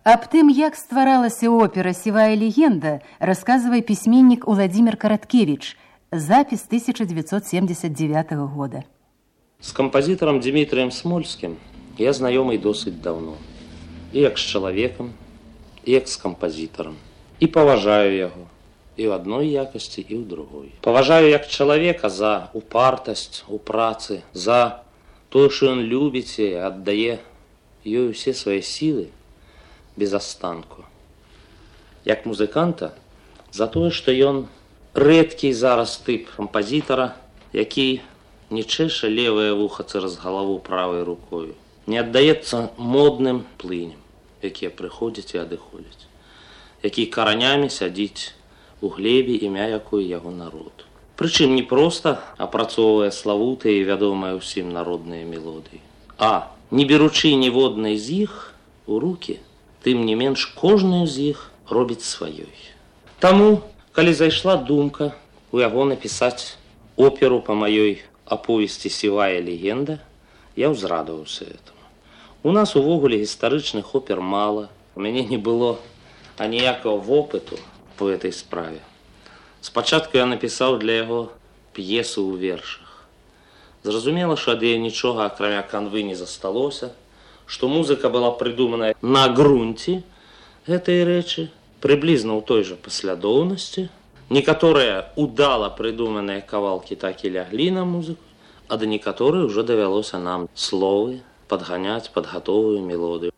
Аб тым, як стваралася опера «Сівая легенда», расказвае пісьменнік Уладзімір Караткевіч, запіс 1979 года. З кампазітарам Дмітрыем Смольскім я знаёмы досыць даўно. І як з чалавекам, і як з кампазітарам. І паважаю яго і ў адной якасці, і ў другой. Паважаю як чалавека за упартасць у працы, за тое, што ён любіць і аддае ёй усе свае сілы без астанку. Як музыканта, за тое, што ён рэдкі зараз тып кампазітара, які не чэша левае вуха цераз галаву правай рукою, не аддаецца модным плыням, якія прыходзяць і адыходзяць, які каранямі сядзіць у глебе, імя якой яго народ. Прычым не проста апрацоўвае славутыя і вядомыя ўсім народныя мелодыі, а не беручы ніводнай з іх у рукі, тым не менш кожную з іх робіць сваёй. Таму, калі зайшла думка у яго напісаць оперу па маёй аповесці «Сівая легенда», я ўзрадаваўся этому. У нас увогуле гістарычных опер мала, у мяне не было аніякага вопыту по этой справе. Спачатку я напісаў для яго п'есу ў вершах. Зразумела, што ад яе нічога, акрамя канвы, не засталося, што музыка была прыдуманая на грунце гэтай рэчы, прыблізна ў той жа паслядоўнасці. Некаторыя удала прыдуманыя кавалкі так і ляглі на музыку, а да некаторых ужо давялося нам словы падганяць пад гатовую мелодыю.